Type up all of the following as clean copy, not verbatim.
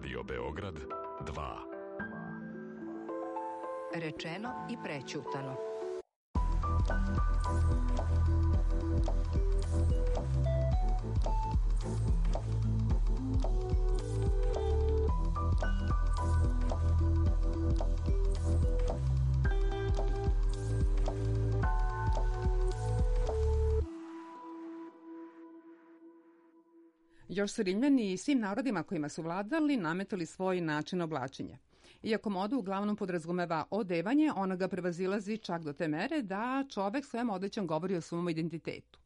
Radio Beograd 2. Rečeno i prećutano. Još su Rimljani i svim narodima kojima su vladali nametali svoj način oblačenja. Iako moda uglavnom podrazumeva odevanje, ona ga prevazilazi čak do te mere da čovek svojom odećom govori o svom identitetu.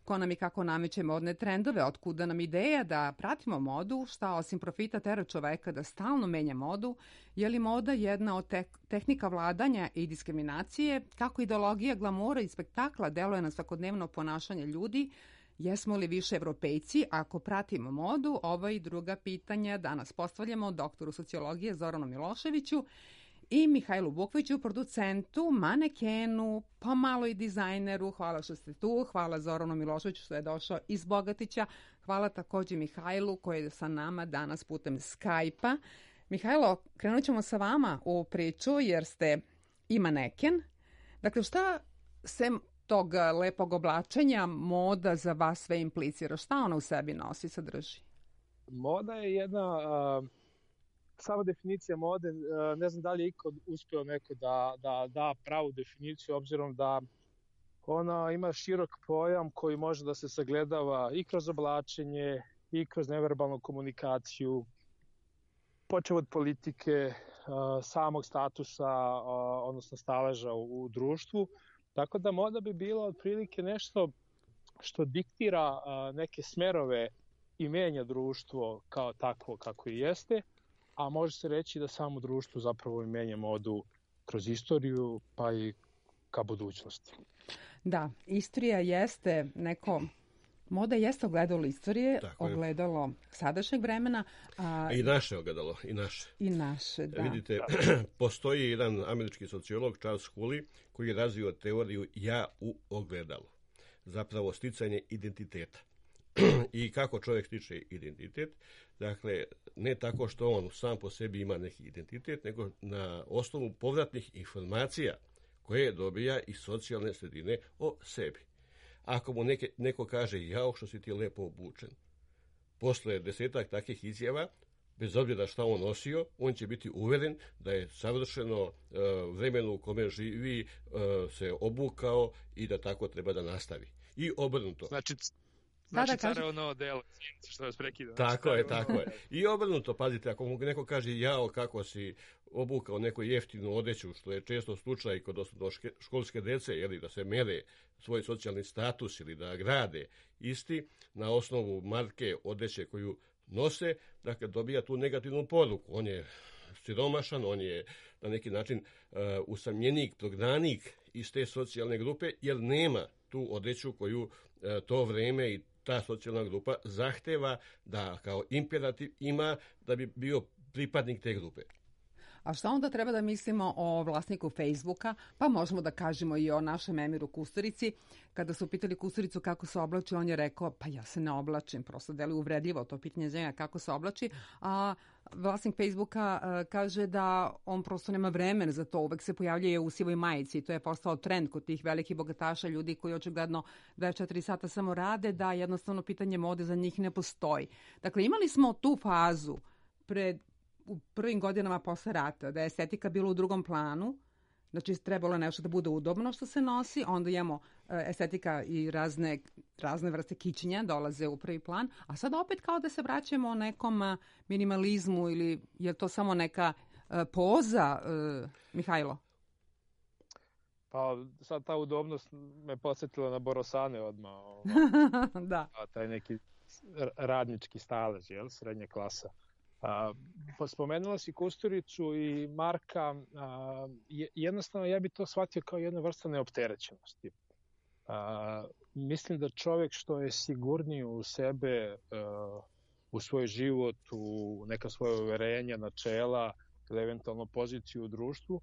Ko nam i kako nameće modne trendove, otkuda nam ideja da pratimo modu, šta osim profita tera čoveka da stalno menja modu, je li moda jedna od tehnika vladanja i diskriminacije, kako ideologija glamura i spektakla deluje na svakodnevno ponašanje ljudi, jesmo li više Evropejci ako pratimo modu? Ova i druga pitanja danas postavljamo doktoru sociologije Zoranu Miloševiću i Mihajlu Bukviću, producentu, manekenu, pomalo i dizajneru. Hvala što ste tu, hvala Zoranu Miloševiću što je došao iz Bogatića, hvala takođe Mihajlu koji je sa nama danas putem Skype-a. Mihajlo, krenut ćemo sa vama u priču jer ste i maneken. Dakle, šta se tog lepog oblačenja moda za vas sve implicira? Šta ona u sebi nosi, sadrži? Moda je jedna, sama definicija mode, ne znam da li je ikad uspeo neko da pravu definiciju, obzirom da ona ima širok pojam koji može da se sagledava i kroz oblačenje, i kroz neverbalnu komunikaciju, počev od politike, samog statusa, odnosno staleža u društvu. Tako da moda bi bila otprilike nešto što diktira neke smerove i menja društvo kao takvo kako i jeste, a može se reći da samo društvo zapravo i menja modu kroz istoriju pa i ka budućnosti. Da, istorija jeste neko... Moda jeste ogledalo istorije, ogledalo sadašnjeg vremena. I naše ogledalo, i naše. I naše, da. Vidite, postoji jedan američki sociolog, Charles Hulley, koji je razvio teoriju ja u ogledalu. Zapravo sticanje identiteta. I kako čovjek stiče identitet? Dakle, ne tako što on sam po sebi ima neki identitet, nego na osnovu povratnih informacija koje dobija iz socijalne sredine o sebi. Ako mu neko kaže, jao što si ti lepo obučen, posle 10 takvih izjava, bez obzira šta on nosio, on će biti uveren da je savršeno vremenu u kome živi se obukao i da tako treba da nastavi. I obrnuto. Znači carevo novo delo, što vas prekida. Tako je. I obrnuto, pazite, ako mu neko kaže, jao kako si obukao neku jeftinu odeću, što je često slučaj kod školske dece, jeli, da se mere svoj socijalni status ili da grade isti na osnovu marke odeće koju nose, dakle dobija tu negativnu poruku. On je siromašan, on je na neki način usamljenik, prognanik iz te socijalne grupe, jer nema tu odeću koju to vreme i ta socijalna grupa zahteva da kao imperativ ima da bi bio pripadnik te grupe. A šta onda treba da mislimo o vlasniku Facebooka? Pa možemo da kažemo i o našem Emiru Kusturici. Kada su pitali Kusturicu kako se oblači, on je rekao, pa ja se ne oblačim, prosto deluje uvredljivo to pitanje za njega kako se oblači, a vlasnik Facebooka kaže da on prosto nema vremena za to, uvek se pojavljuje u sivoj majici i to je postao trend kod tih velikih bogataša, ljudi koji očigledno 24 sata samo rade, da jednostavno pitanje mode za njih ne postoji. Dakle, imali smo tu fazu u prvim godinama posle rata, da je estetika bila u drugom planu, znači trebalo je nešto da bude udobno što se nosi, onda imamo estetika i razne vrste kićenja dolaze u prvi plan, a sad opet kao da se vraćamo nekom minimalizmu ili je to samo neka poza, Mihajlo? Pa sad ta udobnost me podsjetila na Borosane odmah. Da. Taj neki radnički stalež, jel, srednja klasa. Spomenula si Kusturicu i Marka, jednostavno ja bi to shvatio kao jedna vrsta neopterećenosti. Mislim da čovjek što je sigurniji u sebe, u svoj život, u neka svoje uverenja, načela ili eventualno poziciju u društvu,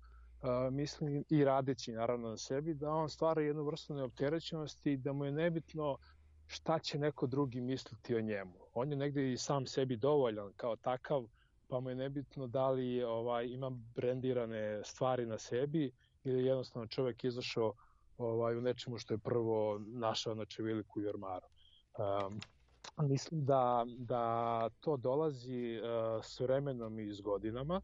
mislim i radeći naravno na sebi, da on stvara jednu vrstu neopterećenosti i da mu je nebitno šta će neko drugi misliti o njemu. On je negde i sam sebi dovoljan kao takav, pa mu je nebitno da li ima brendirane stvari na sebi ili jednostavno čovjek izašao u nečemu što je prvo našao na čeviliku i ormaru. Mislim da to dolazi s vremenom i s godinama.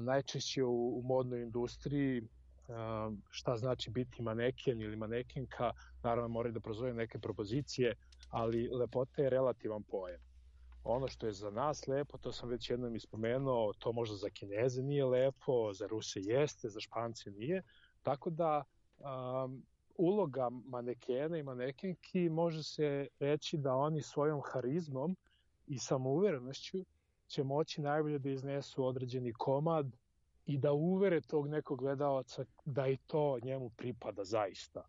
Najčešće u modnoj industriji šta znači biti maneken ili manekenka, naravno moraju da prozove neke propozicije, ali lepota je relativan pojam. Ono što je za nas lepo, to sam već jednom ispomenuo, to možda za Kineze nije lepo, za Ruse jeste, za Špance nije, tako da uloga manekena i manekenki može se reći da oni svojom harizmom i samouverenošću će moći najbolje da iznesu određeni komad i da uvere tog nekog gledalaca da i to njemu pripada zaista.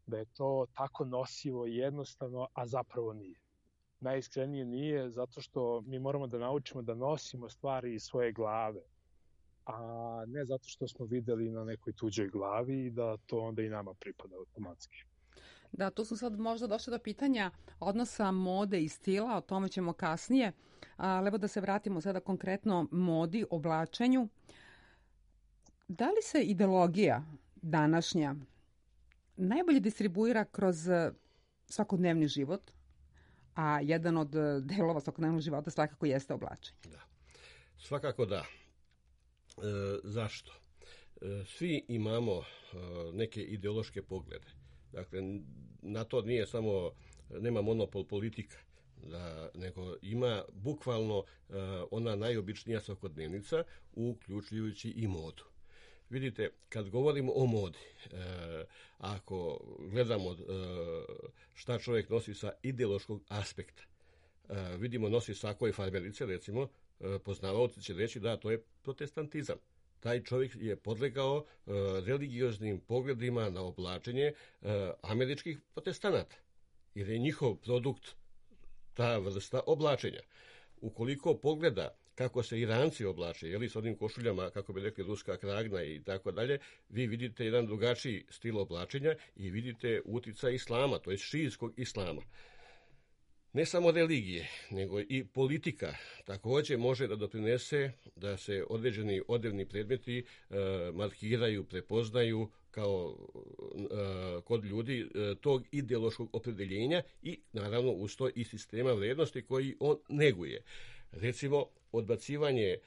Da je to tako nosivo i jednostavno, a zapravo nije. Najiskrenije nije, zato što mi moramo da naučimo da nosimo stvari iz svoje glave, a ne zato što smo videli na nekoj tuđoj glavi i da to onda i nama pripada automatski. Da, tu smo sad možda došli do pitanja odnosa mode i stila, o tome ćemo kasnije. Ali evo da se vratimo sada konkretno modi, oblačenju. Da li se ideologija današnja najbolje distribuira kroz svakodnevni život, a jedan od delova svakodnevnog života svakako jeste oblačenje? Da, svakako da. Zašto? Svi imamo neke ideološke poglede. Dakle, na to nije samo, nema monopol politika, nego ima bukvalno ona najobičnija svakodnevnica, uključujući i modu. Vidite, kad govorimo o modi, ako gledamo šta čovjek nosi sa ideološkog aspekta, vidimo nosi sako i farmerice, recimo, poznavaoci će reći da to je protestantizam. Taj čovjek je podlegao religioznim pogledima na oblačenje američkih protestanata, jer je njihov produkt ta vrsta oblačenja. Ukoliko pogleda kako se Iranci oblače, jeli s onim košuljama, kako bi rekli, ruska kragna i tako dalje, vi vidite jedan drugačiji stil oblačenja i vidite uticaj islama, to je šijskog islama. Ne samo religije, nego i politika također može da doprinese da se određeni odevni predmeti markiraju, prepoznaju kao kod ljudi tog ideološkog opredeljenja i naravno uz to i sistema vrednosti koji on neguje. Recimo, odbacivanje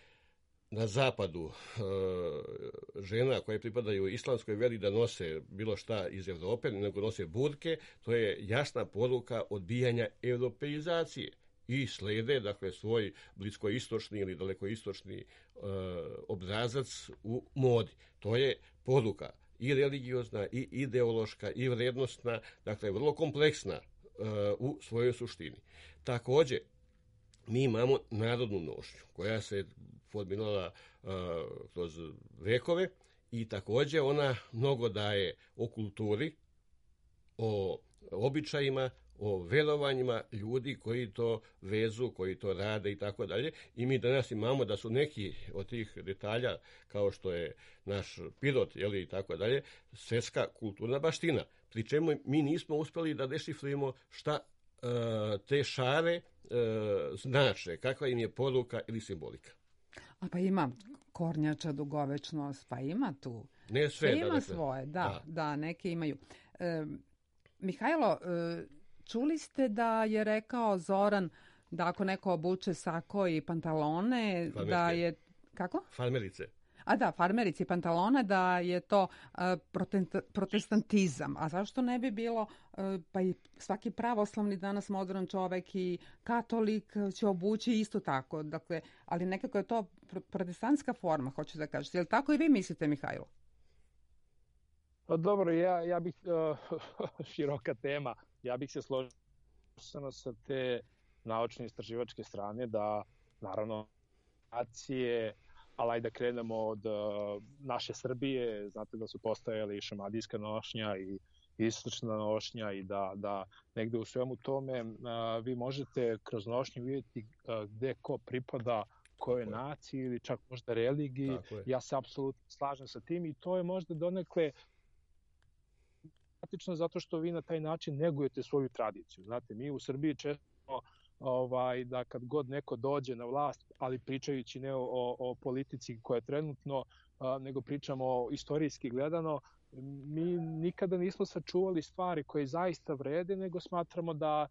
na zapadu žena koje pripadaju islamskoj veri da nose bilo šta iz Evrope, nego nose burke, to je jasna poruka odbijanja europeizacije i slede, dakle, svoj bliskoistočni ili dalekoistočni obrazac u modi. To je poruka i religiozna, i ideološka, i vrednostna, dakle, vrlo kompleksna u svojoj suštini. Također, mi imamo narodnu nošnju koja se formirala kroz vekove i također ona mnogo daje o kulturi, o običajima, o verovanjima ljudi koji to vezu, koji to rade i tako dalje. I mi danas imamo da su neki od tih detalja, kao što je naš Pirot, jeli, i tako dalje, svjetska kulturna baština. Pri čemu mi nismo uspjeli da dešifrujemo šta te šare znače, kakva im je poruka ili simbolika. A pa ima kornjača, dugovečnost, pa ima tu. Ne sve, ima dakle, svoje, da, neke imaju. Mihajlo, čuli ste da je rekao Zoran da ako neko obuče sako i pantalone, farmerke. Da je... Kako? Farmerice. A da, farmerice i pantalone, da je to protestantizam. A zašto ne bi bilo, pa i svaki pravoslavni danas modern čovek i katolik će obući isto tako. Dakle, ali nekako je to protestantska forma, hoću da kažem. Je li tako i vi mislite, Mihajlo? Dobro, ja bih, široka tema, ja bih se složio sa te naučno-istraživačke strane da, naravno, nacije, ali da krenemo od naše Srbije, znate da su postojali i šamadijska nošnja i istočna nošnja i da negde u svemu tome vi možete kroz nošnju vidjeti gde ko pripada kojoj naciji ili čak možda religiji. Ja se apsolutno slažem sa tim i to je možda donekle zato što vi na taj način negujete svoju tradiciju. Znate, mi u Srbiji često da kad god neko dođe na vlast, ali pričajući ne o politici koja je trenutno, nego pričamo istorijski gledano, mi nikada nismo sačuvali stvari koje zaista vrede, nego smatramo da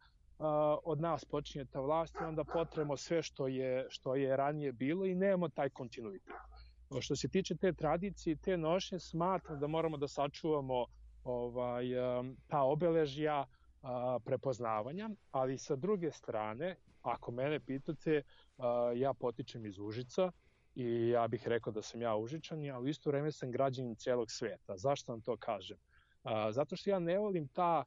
od nas počinje ta vlast i onda potremo sve što je ranije bilo i nemamo taj kontinuitet. Što se tiče te tradicije, te nošnje, smatram da moramo da sačuvamo ta obeležja prepoznavanja, ali sa druge strane, ako mene pitate, ja potičem iz Užica i ja bih rekao da sam ja Užičanin, ali u isto vreme sam građanin celog sveta. Zašto vam to kažem? Zato što ja ne volim ta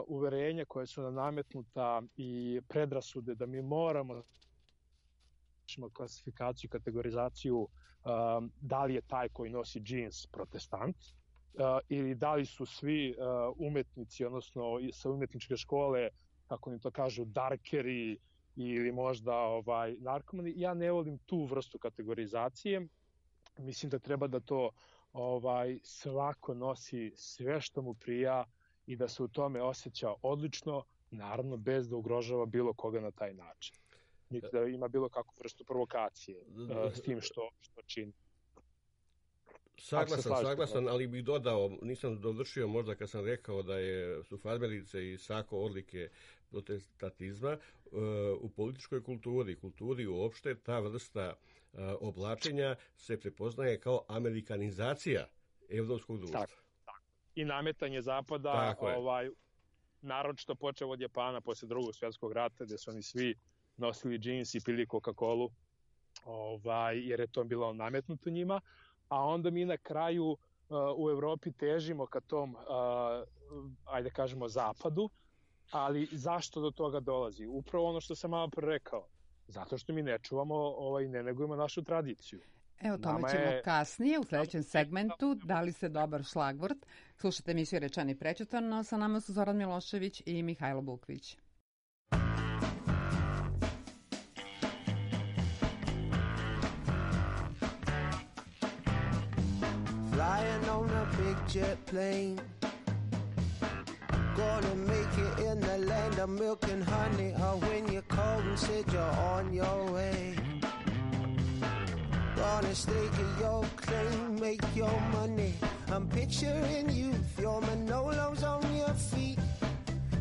uverenja koja su nam nametnuta i predrasude da mi moramo klasifikaciju, kategorizaciju da li je taj koji nosi džins protestant ili da li su svi umetnici, odnosno sa umetničke škole, kako im to kažu, darkeri ili možda narkomani. Ja ne volim tu vrstu kategorizacije. Mislim da treba da to svako nosi sve što mu prija i da se u tome osjeća odlično, naravno bez da ugrožava bilo koga na taj način. Niti da ima bilo kakvu vrstu provokacije s tim što čini. Saglasan, ali bih dodao, nisam dovršio možda kad sam rekao da su farmerice i sako odlike protestatizma u političkoj kulturi uopšte, ta vrsta oblačenja se prepoznaje kao amerikanizacija evropskog društva. Tako. I nametanje zapada, naročito počeo od Japana posle Drugog svjetskog rata, gde su oni svi nosili džins i pili Coca-Colu, jer je to bilo nametnuto njima, a onda mi na kraju u Evropi težimo ka tom, ajde kažemo, zapadu, ali zašto do toga dolazi? Upravo ono što sam malo pre rekao, zato što mi ne čuvamo i ne negujemo našu tradiciju. Evo, tome ćemo kasnije u sledećem segmentu. Dali se dobar šlagvort. Slušate emisiju Rečeno i prećutano. Sa nama su Zoran Milošević i Mihajlo Bukvić. Flying on a big jet plane, gonna make it in the land of milk and honey. Or when you called and said you're on your way, gonna stake your claim, make your money. I'm picturing youth, your Manolos on your feet,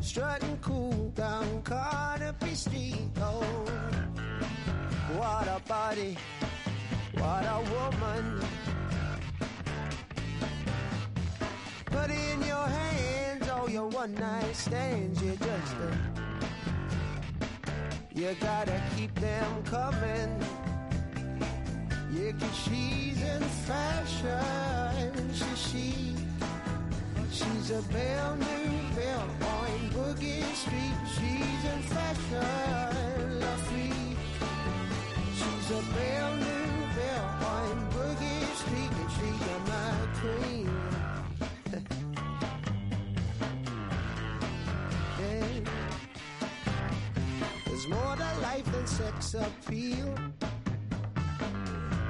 strutting cool down Carnaby Street. Oh, what a body, what a woman. Put in your hands all your one-night stands. You gotta keep them coming. Yeah, 'cause she's in fashion. She's a belle new belle on Boogie Street. She's in fashion, la free. She's a belle new belle on Boogie Street, and she's my queen. There's more to life than sex appeal,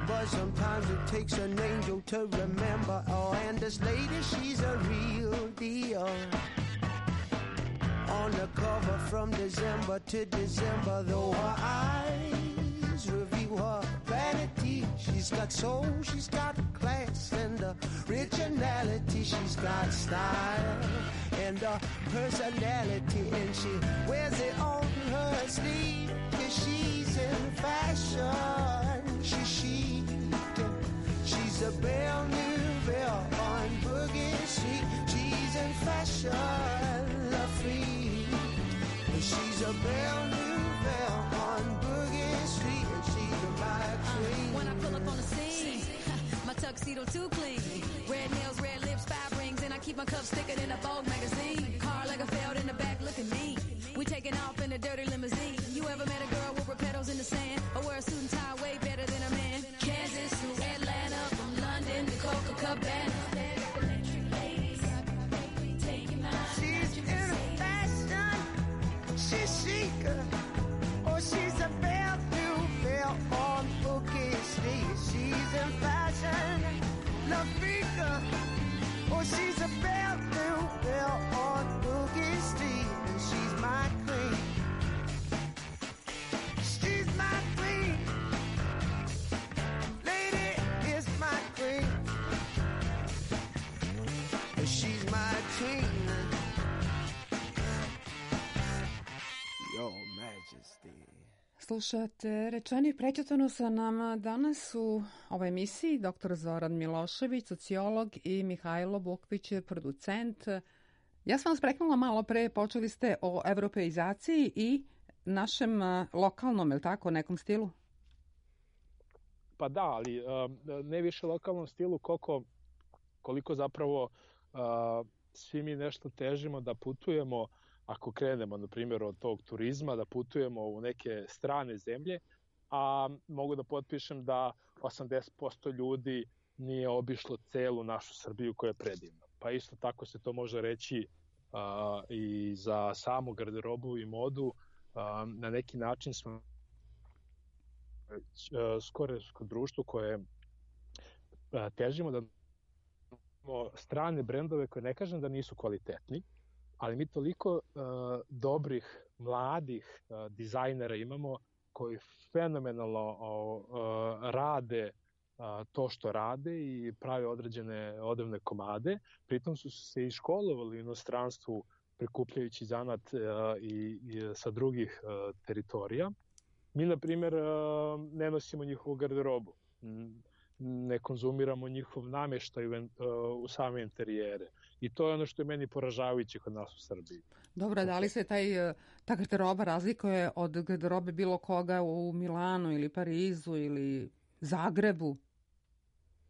but sometimes it takes an angel to remember. Oh, and this lady, she's a real deal. On the cover from December to December, though her eyes reveal her vanity. She's got soul, she's got class and originality. She's got style and personality, and she wears it on her sleeve, 'cause she's in fashion. She's a belle new belle on Boogie Street. She's in fashion, la free. She's a belle new belle on Boogie Street, and she's my queen. When I pull up on the scene, my tuxedo too clean. Red nails, red lips, 5 rings, and I keep my cuffs thicker than a Vogue magazine. Car like a felt in the back, looking mean. We taking off in a dirty limousine. You ever met a girl with petals in the sand, or wear a suit and tie way better than a man? Kansas to Atlanta, from London to Copacabana. She's in fashion, she's chic. Oh, she's a belle new belle on Boogie Street. She's in fashion, La Frica. Oh, she's a belle new belle on Boogie Street, and she's my queen. Slušate Rečeno i prećutano. Sa nama danas u ovoj emisiji dr. Zoran Milošević, sociolog, i Mihajlo Bukvić, producent. Ja sam vas preknula malo pre, počeli ste o evropeizaciji i našem lokalnom, je li tako, nekom stilu? Pa da, ali ne više lokalnom stilu koliko zapravo svi mi nešto težimo da putujemo, ako krenemo, na primjer, od tog turizma, da putujemo u neke strane zemlje, a mogu da potpišem da 80% ljudi nije obišlo celu našu Srbiju koja je predivna. Pa isto tako se to može reći i za samu garderobu i modu. Na neki način smo skoro društvo koje težimo da imamo strane brendove koje ne kažem da nisu kvalitetni, ali mi toliko dobrih, mladih dizajnera imamo koji fenomenalno rade to što rade i prave određene odevne komade. Pritom su se i školovali u inostranstvu prikupljajući zanat i sa drugih teritorija. Mi, na primjer, ne nosimo njihovu garderobu, ne konzumiramo njihov namještaj u same interijere. I to je ono što je meni poražavajuće kod nas u Srbiji. Dobro, da li se ta garderoba razlikuje od garderobe bilo koga u Milanu ili Parizu ili Zagrebu?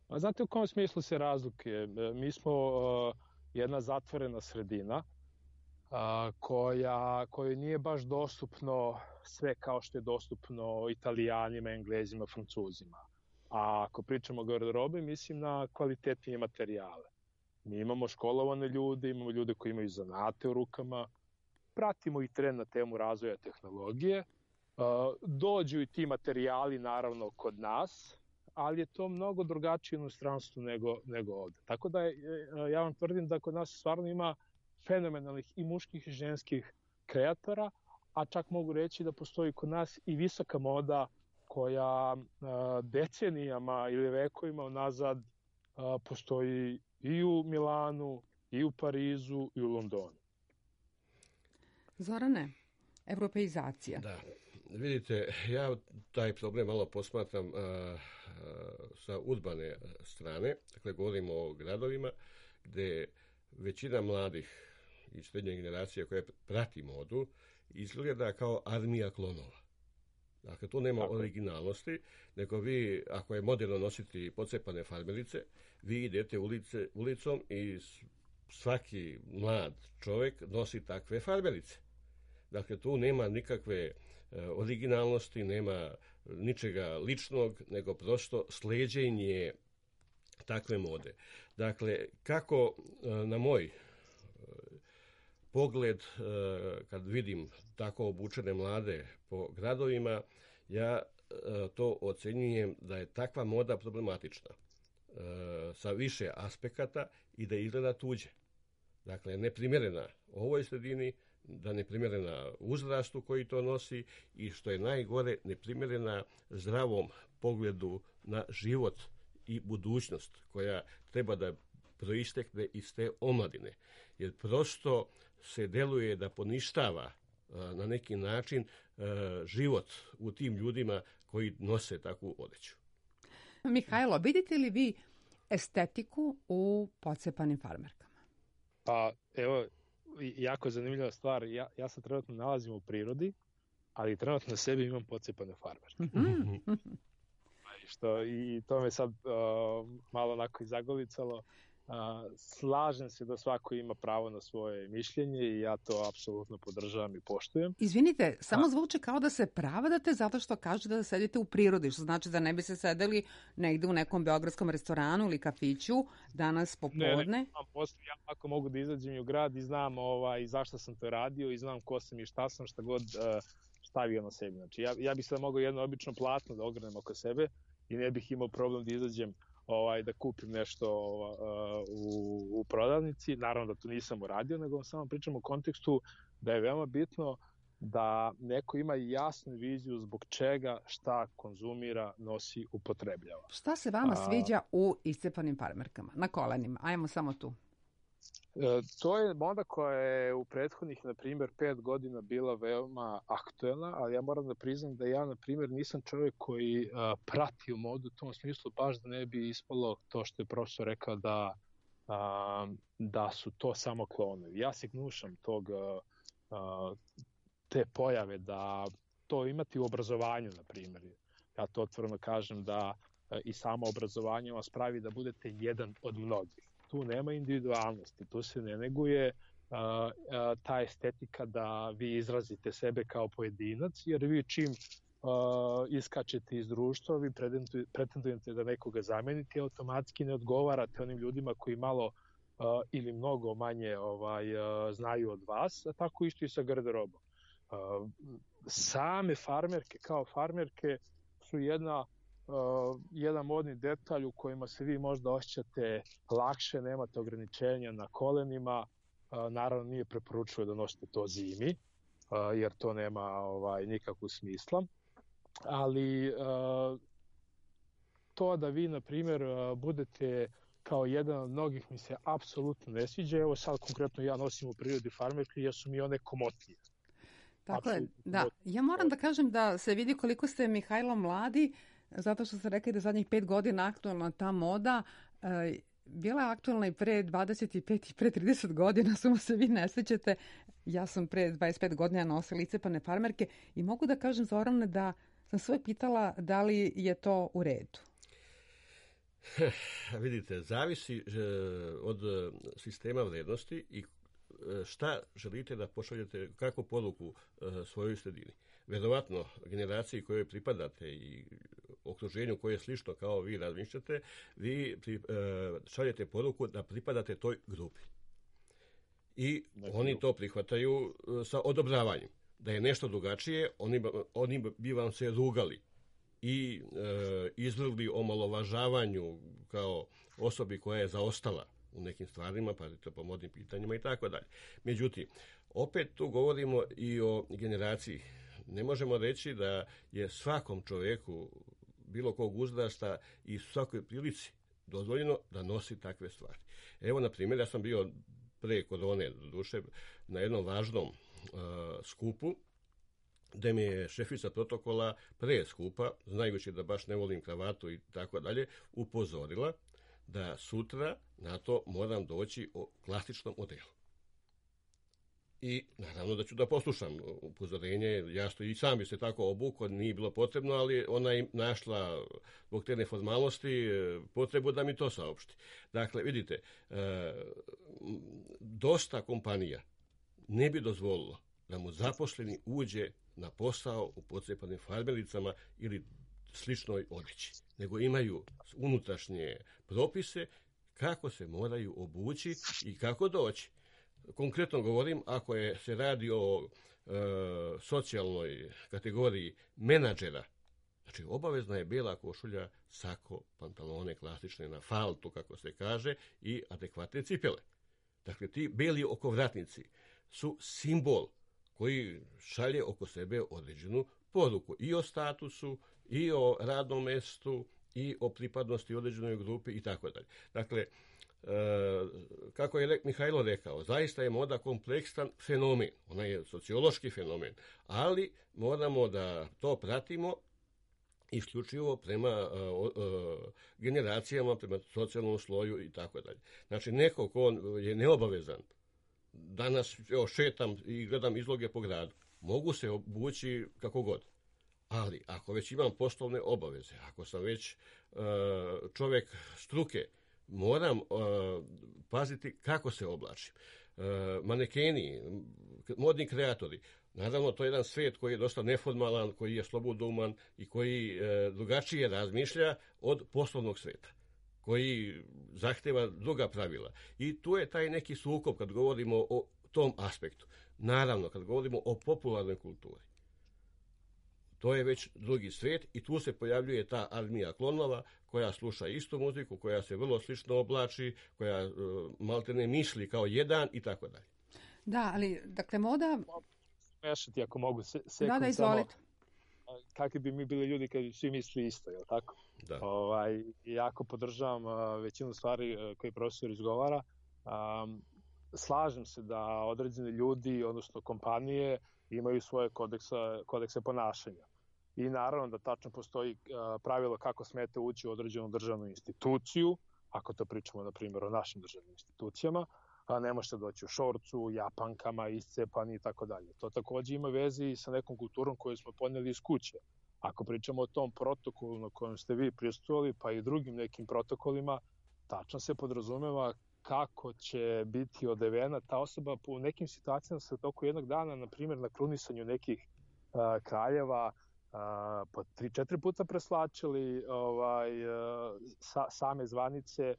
A znate u kom smislu se razlikuje? Mi smo jedna zatvorena sredina kojoj nije baš dostupno sve kao što je dostupno Italijanima, Englezima, Francuzima. A ako pričamo o garderobi, mislim na kvalitetnije materijale. Mi imamo školovane ljude, imamo ljude koji imaju zanate u rukama, pratimo i trend na temu razvoja tehnologije. Dođu i ti materijali naravno kod nas, ali je to mnogo drugačije u inostranstvu nego ovde. Tako da ja vam tvrdim da kod nas stvarno ima fenomenalnih i muških i ženskih kreatora, a čak mogu reći da postoji kod nas i visoka moda koja decenijama ili vekovima unazad postoji i u Milanu, i u Parizu, i u Londonu. Zorane, evropeizacija. Da, vidite, ja taj problem malo posmatram sa urbane strane. Dakle, govorimo o gradovima gde većina mladih i srednje generacije koja prati modu izgleda kao armija klonova. Dakle, tu nema originalnosti, nego vi, ako je moderno nositi pocepane farmerice, vi idete ulicom i svaki mlad čovjek nosi takve farmerice. Dakle, tu nema nikakve originalnosti, nema ničega ličnog, nego prosto sleđenje takve mode. Dakle, kako na moj pogled, kad vidim tako obučene mlade po gradovima, ja to ocenjujem da je takva moda problematična sa više aspekata i da izgleda tuđe. Dakle, neprimjerena ovoj sredini, da neprimjerena uzrastu koji to nosi i što je najgore, neprimjerena zdravom pogledu na život i budućnost koja treba da proistekne iz te omladine. Jer prosto se deluje da poništava na neki način život u tim ljudima koji nose takvu odeću. Mihajlo, vidite li vi estetiku u pocepanim farmerkama? Pa evo, jako zanimljiva stvar. Ja se trenutno nalazim u prirodi, ali trenutno na sebi imam pocepane farmerke. I to me sad malo onako i zagolicalo. Slažem se da svako ima pravo na svoje mišljenje i ja to apsolutno podržavam i poštujem. Izvinite, samo zvuči kao da se pravdate zato što kažete da sedite u prirodi, što znači da ne bi se sedeli negde u nekom beogradskom restoranu ili kafiću danas popodne. Ja ako mogu da izađem i u grad i znam zašto sam to radio i znam ko sam i šta sam, šta god stavio na sebi. Znači, ja bih sad mogao jedno obično platno da ogrenem oko sebe i ne bih imao problem da izađem da kupim nešto u prodavnici. Naravno da to nisam uradio, nego samo pričam u kontekstu da je veoma bitno da neko ima jasnu viziju zbog čega, šta konzumira, nosi, upotrebljava. Šta se vama sviđa u iscepanim farmerkama? Na kolenima, ajmo samo tu. To je moda koja je u prethodnih, na primjer, 5 godina bila veoma aktuelna, ali ja moram da priznam da ja, na primjer, nisam čovjek koji prati u modu u tom smislu, baš da ne bi ispalo to što je profesor rekao da su to samo klonovi. Ja se gnušam te pojave da to imati u obrazovanju, na primjer. Ja to otvoreno kažem da i samo obrazovanje vas pravi da budete jedan od mnogih. Tu nema individualnosti, tu se ne neguje ta estetika da vi izrazite sebe kao pojedinac, jer vi čim iskačete iz društva, vi pretendujete da nekoga zamenite, automatski ne odgovarate onim ljudima koji malo ili mnogo manje znaju od vas, a tako isto i sa garderobom. Same farmerke kao farmerke su jedan modni detalj u kojima se vi možda osjećate lakše, nemate ograničenja na kolenima, naravno nije preporučuju da nosite to zimi, jer to nema nikakvog smisla, ali to da vi, na primjer, budete kao jedan od mnogih mi se apsolutno ne sviđa. Evo sad konkretno ja nosim u prirodi farmerke jer su mi one komotnije. Tako je, da. Ja moram da kažem da se vidi koliko ste, Mihajlo, mladi, zato što ste rekli da zadnjih 5 godina aktualna ta moda, bila je aktualna i pre 25 i pre 30 godina, samo se vi ne sećate. Ja sam pre 25 godina nosila licepane farmerke i mogu da kažem, Zorane, da sam sve pitala da li je to u redu. Vidite, zavisi od sistema vrednosti i šta želite da pošaljete, kakvu poruku svojoj sredini. Verovatno, generaciji kojoj pripadate i okruženju koje je slično kao vi razmišljate, vi šaljete poruku da pripadate toj grupi. I oni to prihvataju sa odobravanjem. Da je nešto drugačije, oni bi vam se rugali i izvrgli omalovažavanju kao osobi koja je zaostala u nekim stvarima, pa po modnim pitanjima i tako dalje. Međutim, opet tu govorimo i o generaciji. Ne možemo reći da je svakom čovjeku bilo kog uzrasta i svakoj prilici dozvoljeno da nosi takve stvari. Evo, na primjer, ja sam bio pre korone, doduše, na jednom važnom skupu, gde mi je šefica protokola pre skupa, znajući da baš ne volim kravatu i tako dalje, upozorila da sutra na to moram doći o klasičnom modelu. I naravno da ću da poslušam upozorenje, jasno i sam bi se tako obukao, nije bilo potrebno, ali ona je našla zbog te neformalnosti potrebu da mi to saopšti. Dakle, vidite, dosta kompanija ne bi dozvolilo da mu zaposleni uđe na posao u pocepanim farmericama ili sličnoj odjeći, nego imaju unutrašnje propise kako se moraju obući i kako doći. Konkretno govorim, ako se radi o socijalnoj kategoriji menadžera, znači obavezna je bijela košulja, sako, pantalone klasične na faltu, kako se kaže, i adekvatne cipele. Dakle, ti beli okovratnici su simbol koji šalje oko sebe određenu poruku i o statusu, i o radnom mjestu, i o pripadnosti određenoj grupi i tako dalje. Dakle, kako je Mihajlo rekao, zaista je moda kompleksan fenomen. Ona je sociološki fenomen, ali moramo da to pratimo isključivo prema generacijama, prema socijalnom sloju i tako dalje. Znači, neko ko je neobavezan, danas šetam i gledam izloge po gradu, mogu se obući kako god. Ali ako već imam poslovne obaveze, ako sam već čovjek struke, moram paziti kako se oblačim. Manekeni, modni kreatori, naravno to je jedan svijet koji je dosta neformalan, koji je sloboduman i koji drugačije razmišlja od poslovnog svijeta, koji zahteva druga pravila. I tu je taj neki sukob kad govorimo o tom aspektu. Naravno, kad govorimo o popularnoj kulturi, to je već drugi svijet i tu se pojavljuje ta armija klonova koja sluša istu muziku, koja se vrlo slično oblači, koja maltene misli kao jedan i tako dalje. Da, ali dakle moda... Mešati ako mogu sekund. Da, izvolite. Kakvi bi mi bili ljudi kad svi misli isto, je li tako? Da. Jako podržavam većinu stvari koje profesor izgovara. slažem se da određeni ljudi, odnosno kompanije, imaju svoje kodekse ponašanja. I naravno da tačno postoji pravilo kako smete ući u određenu državnu instituciju, ako to pričamo, na primjer, o našim državnim institucijama, a ne možete doći u šorcu, japankama, iscepani i tako dalje. To takođe ima veze i sa nekom kulturom koju smo poneli iz kuće. Ako pričamo o tom protokolu na kojem ste vi prisustvovali, pa i drugim nekim protokolima, tačno se podrazumeva kako će biti odevena ta osoba. U nekim situacijama se u toku jednog dana, na primjer na krunisanju nekih kraljeva, po 3-4 puta preslačili same zvanice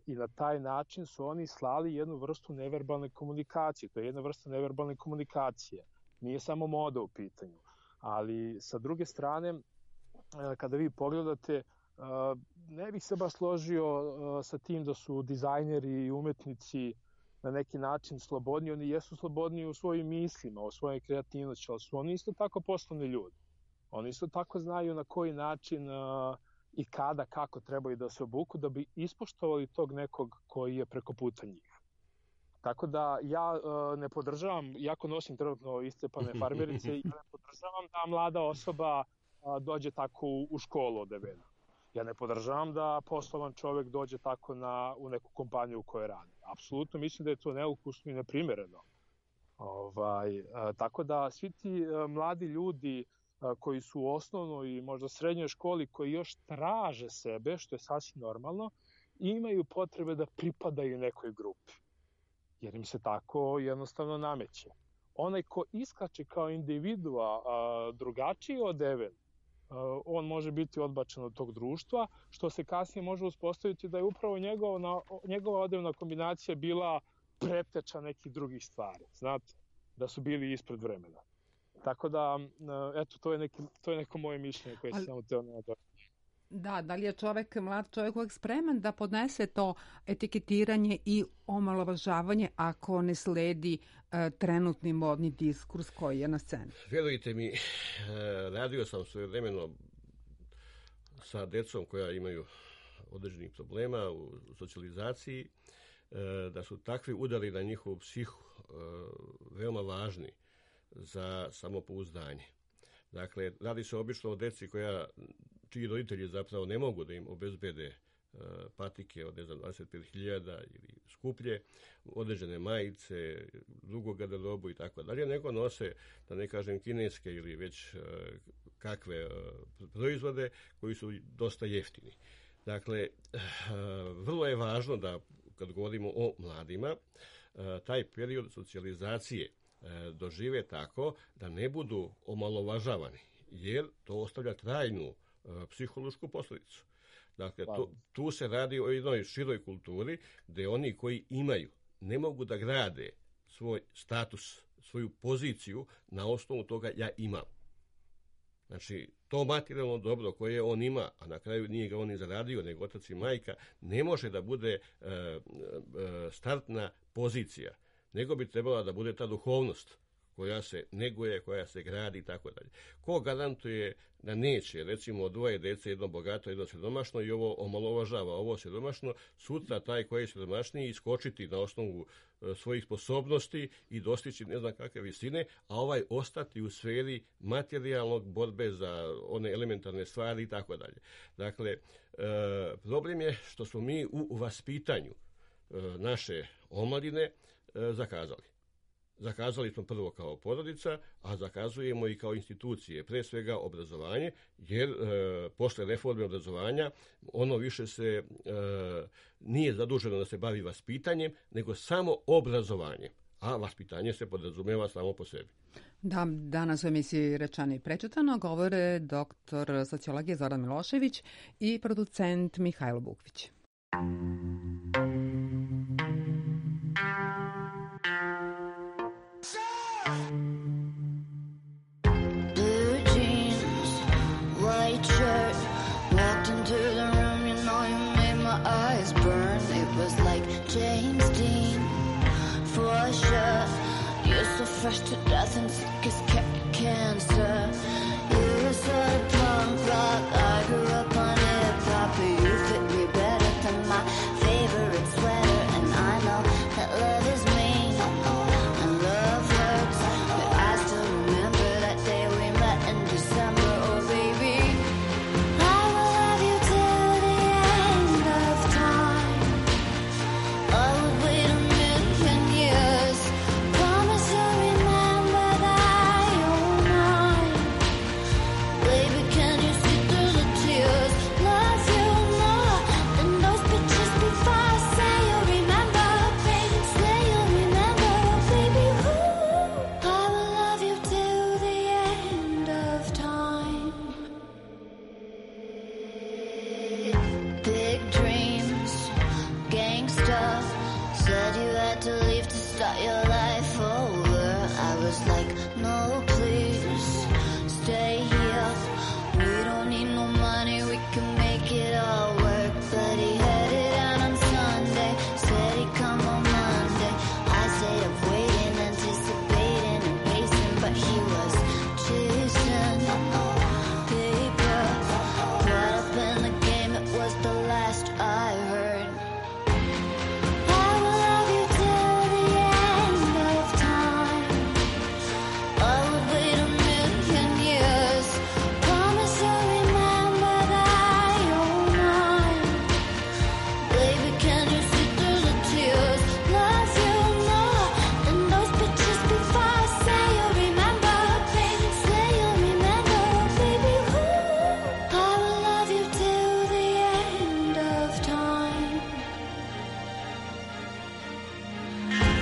i na taj način su oni slali jednu vrstu neverbalne komunikacije. To je jedna vrsta neverbalne komunikacije. Nije samo moda u pitanju. Ali sa druge strane, kada vi pogledate, ne bih se baš složio sa tim da su dizajneri i umetnici na neki način slobodni. Oni jesu slobodni u svojim mislima, u svojoj kreativnosti, ali su oni isto tako poslovni ljudi. Oni isto tako znaju na koji način i kada, kako trebaju da se obuku da bi ispoštovali tog nekog koji je preko puta njih. Tako da ja ne podržavam, iako nosim trenutno iscepane farmerice, ja ne podržavam da mlada osoba dođe tako u školu odevena. Ja ne podržavam da poslovan čovek dođe tako u neku kompaniju u kojoj radi. Apsolutno mislim da je to neukusno i neprimereno. Tako da svi ti mladi ljudi koji su u osnovnoj i možda srednjoj školi, koji još traže sebe, što je sasvim normalno, imaju potrebe da pripadaju nekoj grupi. Jer im se tako jednostavno nameće. Onaj ko iskače kao individua drugačiji odeven, on može biti odbačen od tog društva, što se kasnije može uspostaviti da je upravo njegova odevna kombinacija bila preteča nekih drugih stvari. Znate, da su bili ispred vremena. Tako da, eto, to je neko moje mišljenje koje sam teo nadati. Da li je mlad čovjek uvek spreman da podnese to etiketiranje i omalovažavanje ako ne sledi trenutni modni diskurs koji je na sceni? Vjerujte mi, radio sam svojevremeno sa decom koja imaju određenih problema u socijalizaciji, da su takvi udari na njihovu psihu veoma važni za samopouzdanje. Dakle, radi se obično o deci čiji roditelji zapravo ne mogu da im obezbede patike od 25.000 ili skuplje, određene majice, drugu garderobu i tako dalje, nego nose, da ne kažem, kineske ili već kakve proizvode koji su dosta jeftini. Dakle, vrlo je važno da, kad govorimo o mladima, taj period socijalizacije dožive tako da ne budu omalovažavani, jer to ostavlja trajnu psihološku posljedicu. Dakle, tu se radi o jednoj široj kulturi gdje oni koji imaju ne mogu da grade svoj status, svoju poziciju na osnovu toga ja imam. Znači, to materijalno dobro koje on ima, a na kraju nije ga on i zaradio, nego otac i majka, ne može da bude startna pozicija, nego bi trebala da bude ta duhovnost koja se neguje, koja se gradi i tako dalje. Ko garantuje da neće, recimo, dvoje dece, jedno bogato, jedno siromašno, i ovo omalovažava ovo siromašno, sutra taj koji je siromašniji iskočiti na osnovu svojih sposobnosti i dostići ne znam kakve visine, a ovaj ostati u sferi materijalnog borbe za one elementarne stvari i tako dalje. Dakle, problem je što smo mi u vaspitanju naše omladine zakazali. Zakazali smo prvo kao porodica, a zakazujemo i kao institucije, pre svega obrazovanje, jer posle reforme obrazovanja ono više se nije zaduženo da se bavi vaspitanjem, nego samo obrazovanjem, a vaspitanje se podrazumeva samo po sebi. Da, danas u emisiji Rečeno i prečutano govore doktor sociologije Zoran Milošević i producent Mihajlo Bukvić. James Dean, for sure. You're so fresh to death and sick as cancer. You're so punk rock, I grew up on hip-hop. You fit me better than my favorite sweater. And I know that love to leave to start your life over. I was like, no, please, stay here. We don't need no money, we can make it all work. But he headed out on Sunday, said he'd come on Monday. I stayed up waiting, anticipating and pacing, but he was chasing paper. Caught up in the game, it was the last I heard. I will love you till the end of time. I would wait a million years. Promise you'll remember that you're mine. Baby, can you see through the tears? Love you more than those pictures before I say you'll remember. Baby, say you'll remember. Baby, ooh, I will love you till the end of time.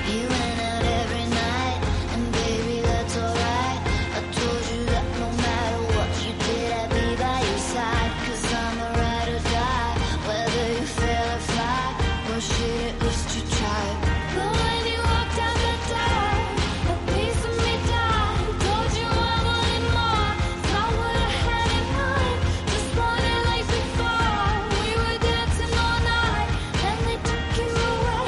He went out every night, and baby, that's alright. I told you that no matter what you did, I'd be by your side. 'Cause I'm a ride or die, whether you fail or fly. Well, shit, at least you tried. But when you walked out the door, a piece of me died. Told you I wanted more, not what I had in mind. Just wanted like before. We were dancing all night, then they took you away.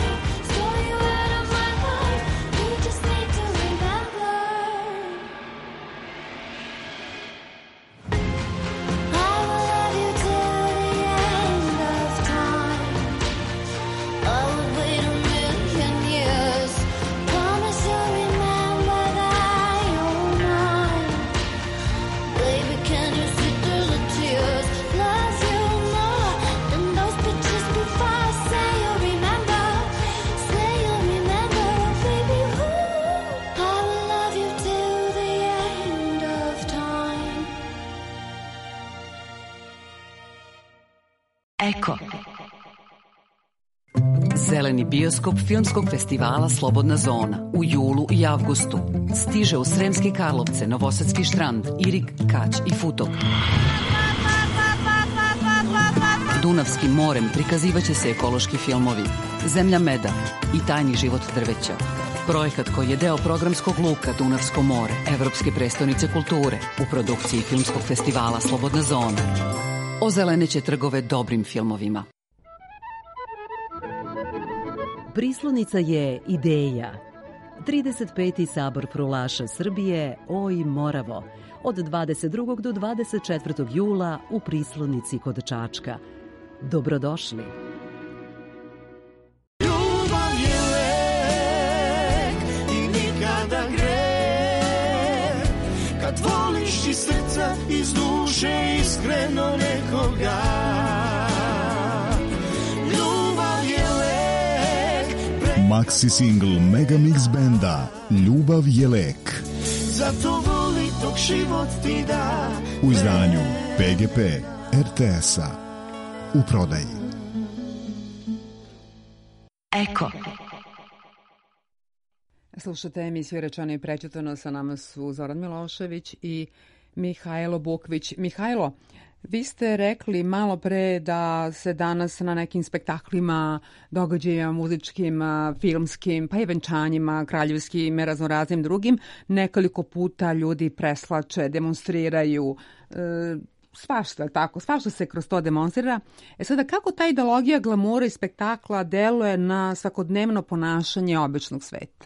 Stole you out of my life. You just need to remember. I will love you till the end of time. I would wait a million years. Promise you'll remember that you're mine. Baby, can you see through the tears? Love you more than those pictures before I say you'll remember. Say you'll remember, baby, ooh. I will love you till the end of time. Eko. Zeleni bioskop Filmskog festivala Slobodna zona u julu i avgustu stiže u Sremske Karlovce, Novosadski Štrand, Irig, Kać i Futog. Dunavskim morem prikazivaće se ekološki filmovi Zemlja meda i Tajni život drveća. Projekat koji je deo programskog luka Dunavsko more, Evropske prestonice kulture u produkciji Filmskog festivala Slobodna zona. Ozeleneće trgove dobrim filmovima. Prislonica je ideja. 35. sabor prulaša Srbije, Oj Moravo, od 22. do 24. jula u Prislonici kod Čačka. Dobrodošli. Ljubav je lek i nikada greh. Kad voliš iz srca, iz duše, iskreno nekoga. Ljubav je lek. Maxi single Mega Mix benda Ljubav je lek. Zato voli dok život ti da. U izdanju PGP RTS-a. U prodaji. Eko. Slušate emisiju Rečeno i prećutano, sa nama su Zoran Milošević i Mihajlo Bukvić. Mihajlo, vi ste rekli malo pre da se danas na nekim spektaklima, događajima muzičkim, filmskim, pa i venčanjima, kraljevskim i raznoraznim drugim, nekoliko puta ljudi preslače, demonstriraju, svašta tako, svašta se kroz to demonstrira. Sada, kako ta ideologija glamura i spektakla deluje na svakodnevno ponašanje običnog sveta?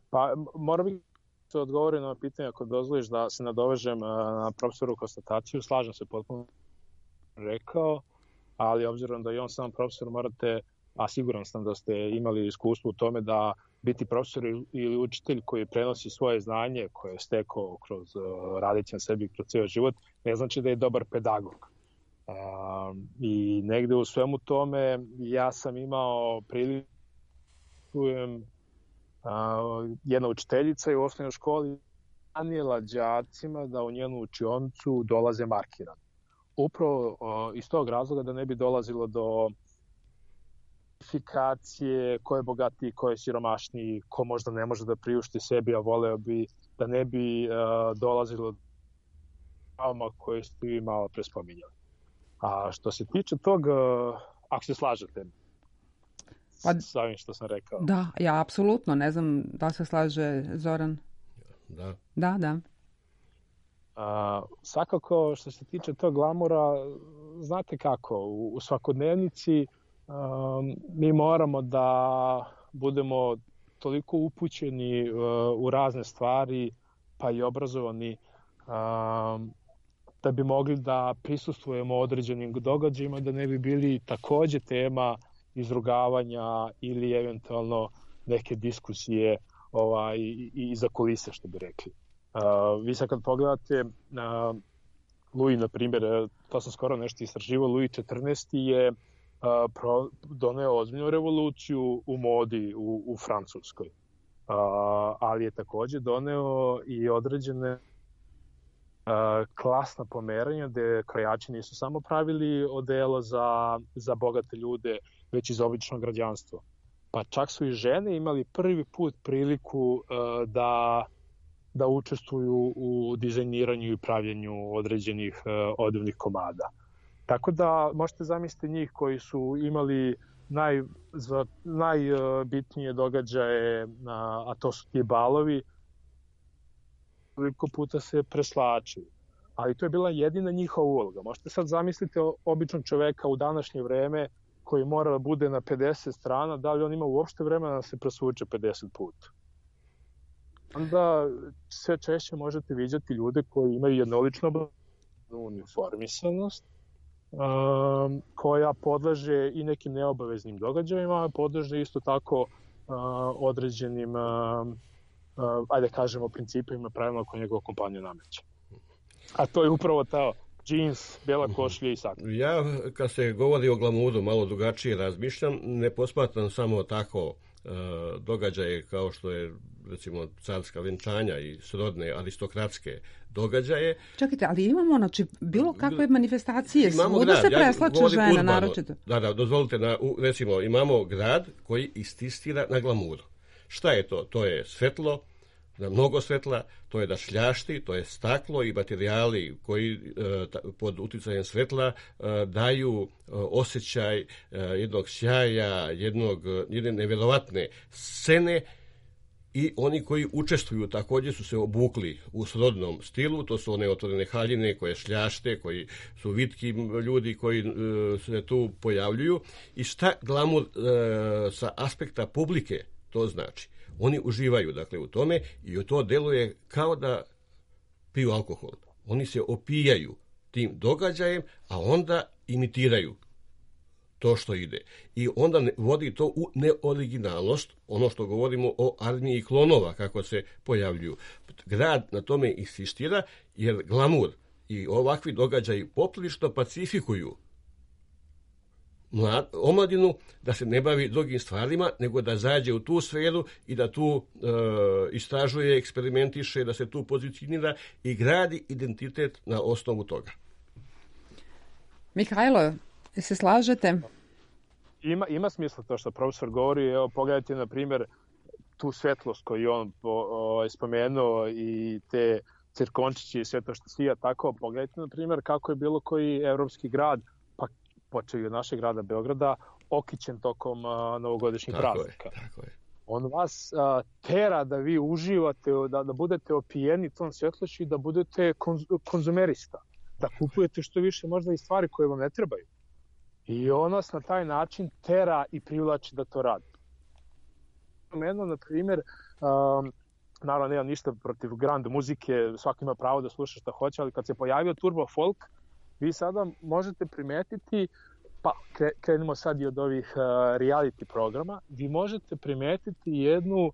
Pa moram bih se odgovoriti na pitanje, ako dozvoliš da se nadovežem na profesoru konstataciju. Slažem se, potpuno rekao, ali obzirom da je on sam profesor, morate, a siguran sam da ste imali iskustvo u tome da biti profesor ili učitelj koji prenosi svoje znanje koje je stekao kroz radeći na sebi kroz ceo život, ne znači da je dobar pedagog. I negde u svemu tome ja sam imao priliku jedna učiteljica je u osnovnoj školi nanijela đacima da u njenu učionicu dolaze markirani. Upravo iz tog razloga da ne bi dolazilo do identifikacije ko je bogatiji, ko je siromašniji, ko možda ne može da priušti sebi, a voleo bi da ne bi dolazilo do trauma koje ste vi malo pre spominjali. A što se tiče tog, ako se slažete, sa ovim što sam rekao. Da, ja apsolutno, ne znam da se slaže Zoran. Da. Svakako što se tiče tog glamura, znate kako, u svakodnevnici mi moramo da budemo toliko upućeni u razne stvari, pa i obrazovani, da bi mogli da prisustvujemo određenim događajima, da ne bi bili takođe tema izrugavanja ili eventualno neke diskusije i iza kulise, što bi rekli. Vi sad kad pogledate Louis, na primjer, to sam skoro nešto istraživao, Louis XIV je doneo ozbiljnu revoluciju u modi u Francuskoj, ali je takođe doneo i određene klasna pomeranja gde krojači nisu samo pravili odela za bogate ljude, već i za obično građanstvo. Pa čak su i žene imali prvi put priliku da učestvuju u dizajniranju i pravljenju određenih odevnih komada. Tako da možete zamisliti njih koji su imali najbitnije događaje, a to su ti balovi, koliko puta se preslačili. Ali to je bila jedina njihova uloga. Možete sad zamisliti običnog čoveka u današnje vreme koji mora da bude na 50 strana, da li on ima uopšte vremena da se presvuče 50 puta. Onda sve češće možete viđati ljude koji imaju jednoličnu uniformisanost, koja podleže i nekim neobaveznim događajima, a podleže isto tako određenim, ajde kažemo, principima, pravilno koje njegova kompanija nameće. A to je upravo ta džins, bela košlja i sakra. Ja, kad se govori o glamuru, malo drugačije razmišljam, ne posmatram samo tako događaje kao što je, recimo, carska venčanja i srodne aristokratske događaje. Čekajte, ali imamo, znači, bilo kakve manifestacije, svuda se preslače žena, naročito. Da, dozvolite, recimo, imamo grad koji istisira na glamuru. Šta je to? To je svetlo, mnogo svetla, to je da šljašti, to je staklo i materijali koji pod uticajem svetla daju osjećaj jednog sjaja, jedne nevjerovatne scene, i oni koji učestvuju također su se obukli u srodnom stilu, to su one otvorene haljine koje šljašte, koji su vitki ljudi koji se tu pojavljuju. I šta glamur sa aspekta publike to znači? Oni uživaju, dakle, u tome, i to deluje kao da piju alkohol. Oni se opijaju tim događajem, a onda imitiraju to što ide. I onda vodi to u neoriginalnost, ono što govorimo o armiji klonova, kako se pojavljuju. Grad na tome insistira, jer glamur i ovakvi događaji poprilično pacifikuju omladinu, da se ne bavi drugim stvarima, nego da zađe u tu sferu i da tu istražuje, eksperimentiše, da se tu pozicionira i gradi identitet na osnovu toga. Mihajlo, se slažete? Ima smisla to što profesor govori. Evo, pogledajte, na primjer, tu svetlost koju on spomenuo i te cirkončići i sve to što sija tako. Pogledajte, na primjer, kako je bilo koji evropski grad, pa počeo od našeg grada Beograda, okićen tokom novogodišnjih praznika. Tako je. On vas tera da vi uživate, da budete opijeni tom svetlošću i da budete konzumerista. Da kupujete što više možda i stvari koje vam ne trebaju. I on nas na taj način tera i privlači da to radi. Meno, na primjer, naravno nemam ništa protiv grand muzike, svaki ima pravo da sluša šta hoće, ali kad se pojavio turbo folk, vi sada možete primetiti, pa krenimo sad i od ovih reality programa, vi možete primetiti jednu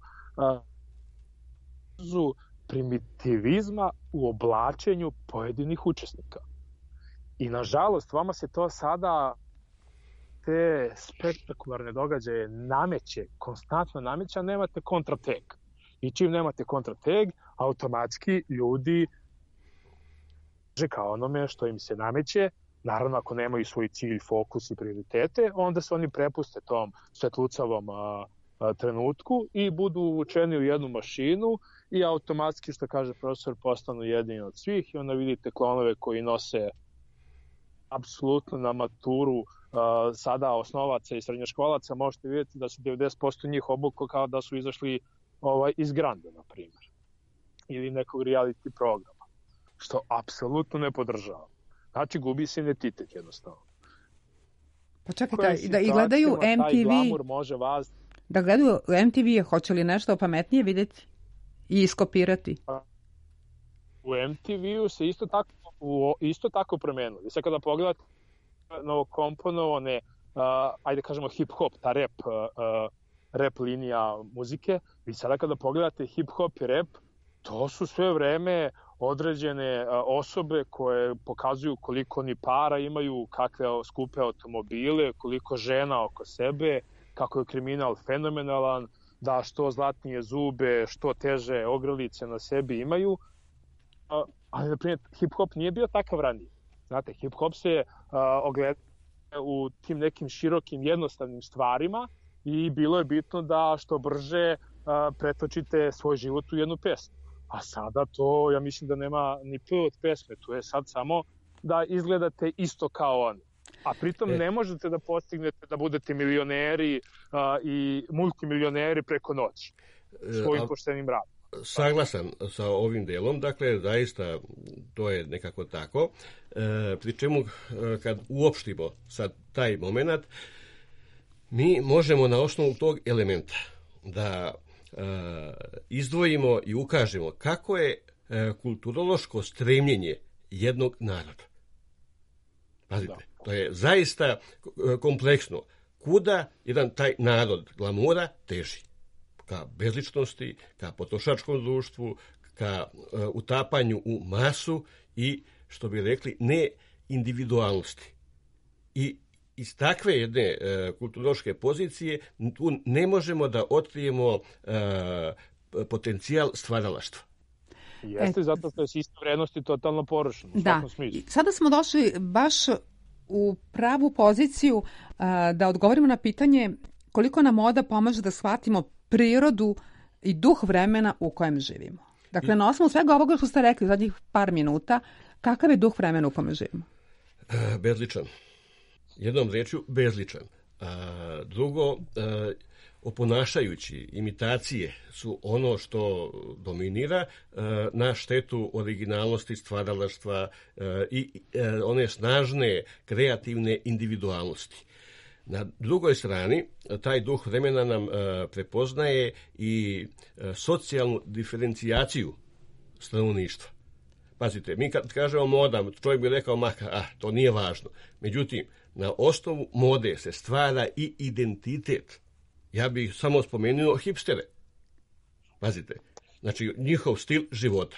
primitivizma u oblačenju pojedinih učesnika. I nažalost, vama se to sada, te spektakularne događaje nameće, konstantno nameće, a nemate kontrateg. I čim nemate kontrateg, automatski ljudi kao onome što im se nameće, naravno ako nemaju svoj cilj, fokus i prioritete, onda se oni prepuste tom svetlucavom trenutku i budu uvučeni u jednu mašinu i automatski, što kaže profesor, postanu jedini od svih i onda vidite klonove koji nose apsolutno na maturu sada osnovaca i srednjoškolaca, možete vidjeti da se 90% njih obuklo kao da su izašli iz Granda, na primjer, ili nekog reality programa, što apsolutno ne podržava. Znači, gubi se identitet jednostavno. Pa čekajte, i gledaju MTV, može vas... da gledaju MTV, hoće li nešto pametnije vidjeti i iskopirati? U MTV-u se isto tako promenilo. I sad kada pogledate novokomponovane, ajde kažemo hip-hop, ta rap linija muzike, vi sada kada pogledate hip-hop i rap, to su sve vreme određene osobe koje pokazuju koliko oni para imaju, kakve skupe automobile, koliko žena oko sebe, kako je kriminal fenomenalan, da što zlatnije zube, što teže ogrlice na sebi imaju. Ali, na primjer, hip-hop nije bio takav ranije. Znate, hip-hop se ogleda u tim nekim širokim, jednostavnim stvarima i bilo je bitno da što brže pretočite svoj život u jednu pesmu. A sada to, ja mislim da nema ni p od pesme, to je sad samo da izgledate isto kao oni. A pritom ne možete da postignete da budete milioneri i multimilioneri preko noći svojim poštenim radom. Saglasan sa ovim delom, dakle, zaista to je nekako tako. Pri čemu, kad uopštimo sad taj moment, mi možemo na osnovu tog elementa da izdvojimo i ukažemo kako je kulturološko stremljenje jednog naroda. Pazite, to je zaista kompleksno. Kuda jedan taj narod glamura teži? Ka bezličnosti, ka potrošačkom društvu, ka utapanju u masu i, što bi rekli, ne individualnosti. I iz takve jedne kulturološke pozicije tu ne možemo da otkrijemo potencijal stvaralaštva. Jeste, zato što je sistem vrednosti totalno porušen. Da, sada smo došli baš u pravu poziciju da odgovorimo na pitanje koliko nam moda pomaže da shvatimo prirodu i duh vremena u kojem živimo. Dakle, na osnovu svega ovoga što ste rekli zadnjih par minuta, kakav je duh vremena u kojem živimo? Bezličan. Jednom rečju, bezličan. Drugo, oponašajući, imitacije su ono što dominira na štetu originalnosti, stvaralaštva i one snažne, kreativne individualnosti. Na drugoj strani, taj duh vremena nam prepoznaje i socijalnu diferencijaciju stanovništva. Pazite, mi kad kažemo moda, čovjek bi rekao, to nije važno. Međutim, na osnovu mode se stvara i identitet. Ja bih samo spomenuo hipstere. Pazite, znači njihov stil života.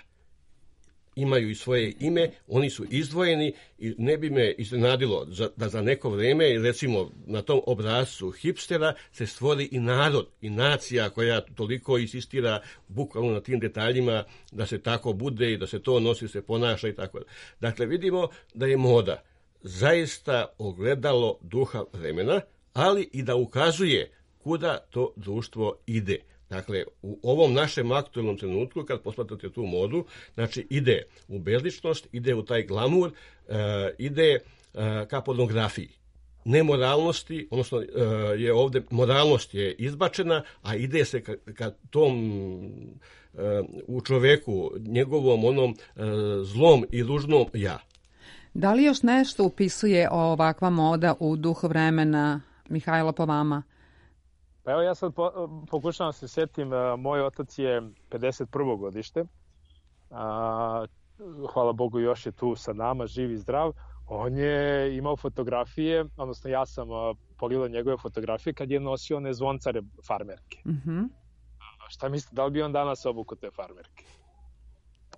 Imaju i svoje ime, oni su izdvojeni i ne bi me iznenadilo da za neko vrijeme, recimo na tom obrascu hipstera, se stvori i narod i nacija koja toliko insistira bukvalno na tim detaljima da se tako bude i da se to nosi, se ponaša i tako. Dakle, vidimo da je moda zaista ogledalo duha vremena, ali i da ukazuje kuda to društvo ide. Dakle, u ovom našem aktualnom trenutku, kad posmatrate tu modu, znači ide u bezličnost, ide u taj glamur, ide ka pornografiji. Nemoralnosti, odnosno je ovdje moralnost je izbačena, a ide se ka tom u čoveku, njegovom onom zlom i ružnom ja. Da li još nešto upisuje ovakva moda u duh vremena, Mihajlo, po vama? Pa evo ja sad pokušavam se setim, moj otac je 51. godište, hvala Bogu još je tu sa nama, živ i zdrav. On je imao fotografije, odnosno ja sam pogledao njegove fotografije kad je nosio one zvoncare farmerke. Mm-hmm. Šta mislite, da li bi on danas obukao te farmerke?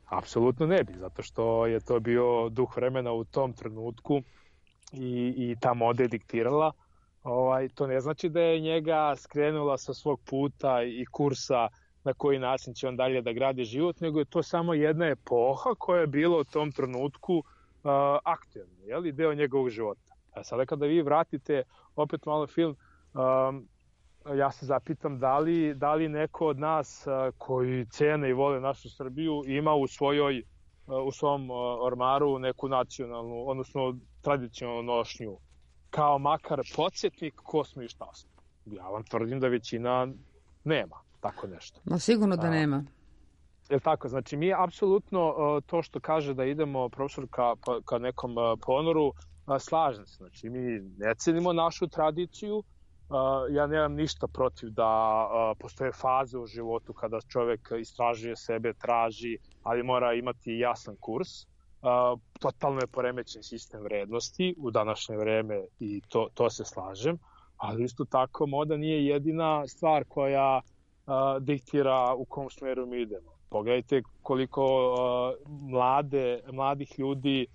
Apsolutno ne bi, zato što je to bio duh vremena u tom trenutku i ta moda je diktirala. To ne znači da je njega skrenula sa svog puta i kursa na koji način će on dalje da gradi život, nego je to samo jedna epoha koja je bila u tom trenutku aktuelna, deo njegovog života. A sada kada vi vratite opet malo film, ja se zapitam da li neko od nas koji cene i vole našu Srbiju ima u svom ormaru neku nacionalnu, odnosno tradicionalnu nošnju kao makar podsjetnik ko smo i šta smo. Ja vam tvrdim da većina nema tako nešto. No sigurno da nema. Je tako? Znači mi apsolutno to što kaže da idemo profesor ka nekom ponoru, slažem se. Znači mi ne cenimo našu tradiciju. Ja nemam ništa protiv da postoje faze u životu kada čovjek istražuje sebe, traži, ali mora imati jasan kurs. Totalno je poremećen sistem vrednosti u današnje vreme i to se slažem, ali isto tako moda nije jedina stvar koja diktira u kom smeru mi idemo. Pogledajte koliko mladih ljudi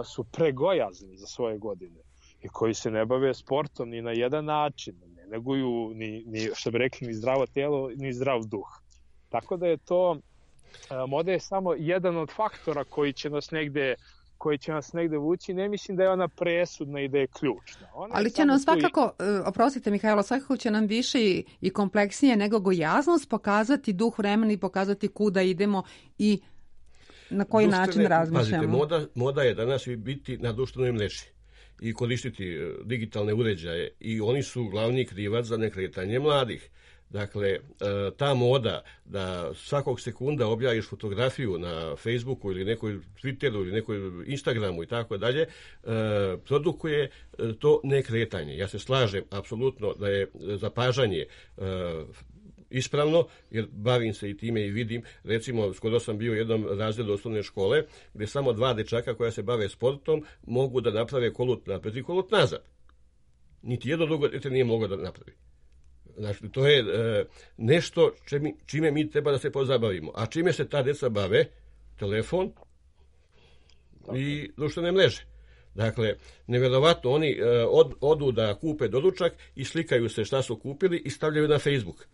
su pregojazni za svoje godine i koji se ne bave sportom ni na jedan način, ne neguju ni što bi rekli, ni zdravo telo, ni zdrav duh. Tako da je to, moda je samo jedan od faktora koji će nas negde vući. Ne mislim da je ona presudna i da je ključna. Ali će nam svakako, oprostite Mihajlo, svakako će nam više i kompleksnije nego gojaznost pokazati duh vremena i pokazati kuda idemo i na koji način razmišljamo. Pazite, moda je danas biti na društvenoj mreži i koristiti digitalne uređaje i oni su glavni krivac za nekretanje mladih. Dakle, ta moda da svakog sekunda objaviš fotografiju na Facebooku ili nekoj Twitteru ili nekoj Instagramu i tako dalje, produkuje to nekretanje. Ja se slažem apsolutno da je zapažanje ispravno, jer bavim se i time i vidim. Recimo, skoro sam bio u jednom razredu osnovne škole gdje samo 2 dečaka koja se bave sportom mogu da naprave kolut napred i kolut nazad. Niti jedno drugo dete nije moglo da napravi. Znači, to je nešto čime mi treba da se pozabavimo. A čime se ta deca bave? Telefon i društvene mreže. Dakle, nevjerovatno, oni odu da kupe doručak i slikaju se šta su kupili i stavljaju na Facebook.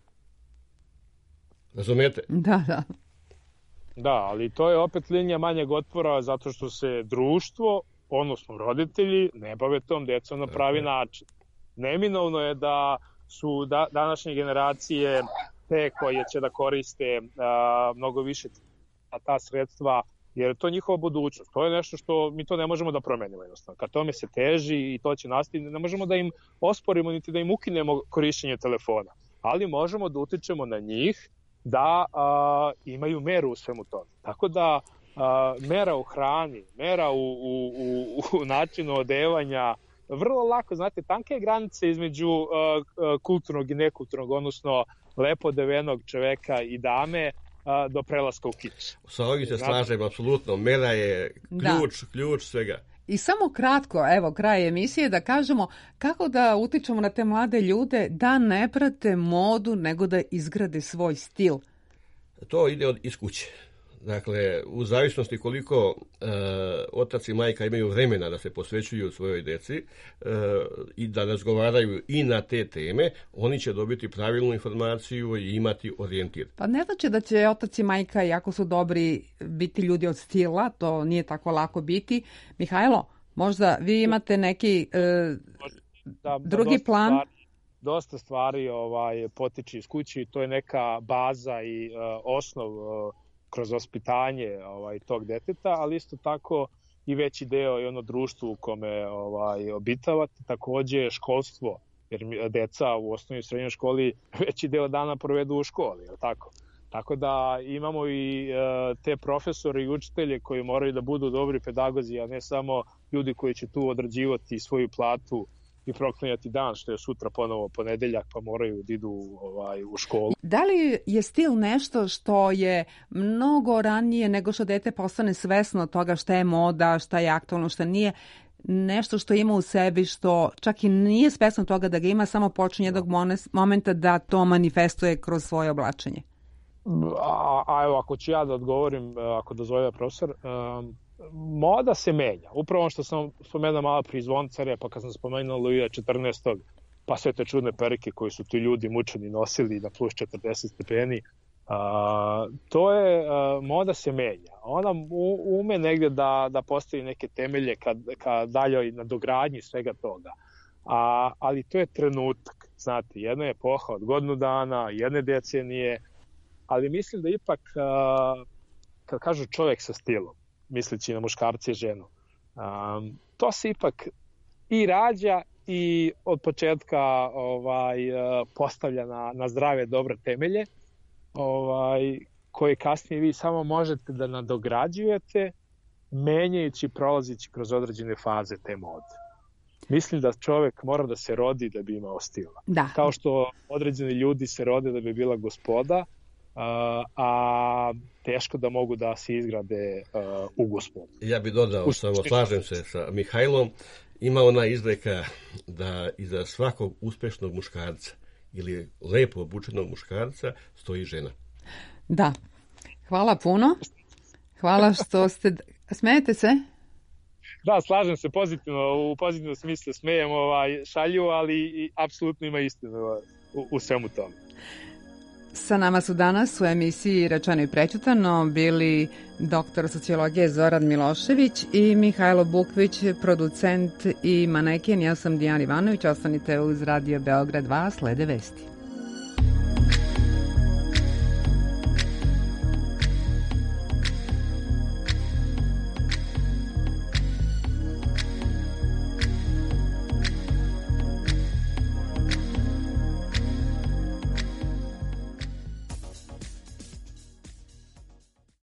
Razumete? Da. Da, ali to je opet linija manjeg otpora zato što se društvo, odnosno roditelji, ne bave tom decom na pravi način. Neminovno je da su današnje generacije te koje će da koriste mnogo više ta sredstva, jer je to njihova budućnost. To je nešto što mi to ne možemo da promenimo jednostavno. Kad tome se teži i to će nastaviti, ne možemo da im osporimo niti da im ukinemo korišćenje telefona, ali možemo da utičemo na njih da imaju meru u svemu tome. Tako da mera u hrani, mera u načinu odevanja, vrlo lako, znate, tanke granice između kulturnog i nekulturnog, odnosno lepo odevenog čoveka i dame do prelaska u kič. Sa ovim se slažem, apsolutno. Mera je ključ svega. I samo kratko, evo, kraj emisije, da kažemo kako da utičemo na te mlade ljude da ne prate modu, nego da izgrade svoj stil. To ide iz kuće. Dakle, u zavisnosti koliko otac i majka imaju vremena da se posvećuju svojoj deci i da razgovaraju i na te teme, oni će dobiti pravilnu informaciju i imati orijentir. Pa ne znači da će otac i majka, jako su dobri, biti ljudi od stila, to nije tako lako biti. Mihajlo, možda vi imate neki drugi plan? Dosta stvari potiče iz kuće i to je neka baza i osnov kroz vaspitanje tog deteta, ali isto tako i veći deo i ono društvo u kome obitavate, takođe školstvo, jer deca u osnovnoj i srednjoj školi veći deo dana provedu u školi, je li tako? Tako da imamo i te profesore i učitelje koji moraju da budu dobri pedagozi, a ne samo ljudi koji će tu odrađivati svoju platu i proklanjati dan, što je sutra ponovo ponedeljak, pa moraju da idu u školu. Da li je stil nešto što je mnogo ranije nego što dete postane svesno toga šta je moda, šta je aktualno, šta nije, nešto što ima u sebi, što čak i nije svesno toga da ga ima, samo počinje jednog momenta da to manifestuje kroz svoje oblačenje? Evo, ako ću ja da odgovorim, ako dozvoljava profesor, moda se menja. Upravo ono što sam spomenuo malo pri Zvoncarja, pa kad sam spomenuo Luija 14. pa sve te čudne perike koje su ti ljudi mučeni nosili na plus 40 stepeni, to je, moda se menja. Ona ume negde da postavi neke temelje ka daljoj nadogradnji svega toga. Ali to je trenutak. Znate, jedna je epoha od godinu dana, jedne decenije, ali mislim da ipak, kad kažu čovjek sa stilom, misleći na muškarce i ženu, to se ipak i rađa i od početka postavlja na zdrave, dobre temelje, koje kasnije vi samo možete da nadograđujete, menjajući, prolazići kroz određene faze te mode. Mislim da čovek mora da se rodi da bi imao stila. Da. Kao što određeni ljudi se rode da bi bila gospoda, a teško da mogu da se izgrade u gospodu. Ja bih dodao, samo slažem se sa Mihajlom, ima ona izreka da iza svakog uspešnog muškarca ili lepo obučenog muškarca stoji žena. Da. Hvala puno. Hvala što ste... Smejete se? Da, slažem se pozitivno, u pozitivnom smislu smejem šalju, ali i apsolutno ima istinu u svemu tome. Sa nama su danas u emisiji Rečeno i prećutano bili doktor sociologije Zoran Milošević i Mihajlo Bukvić, producent i maneken. Ja sam Dijana Ivanović, ostanite uz Radio Beograd 2, slede vesti.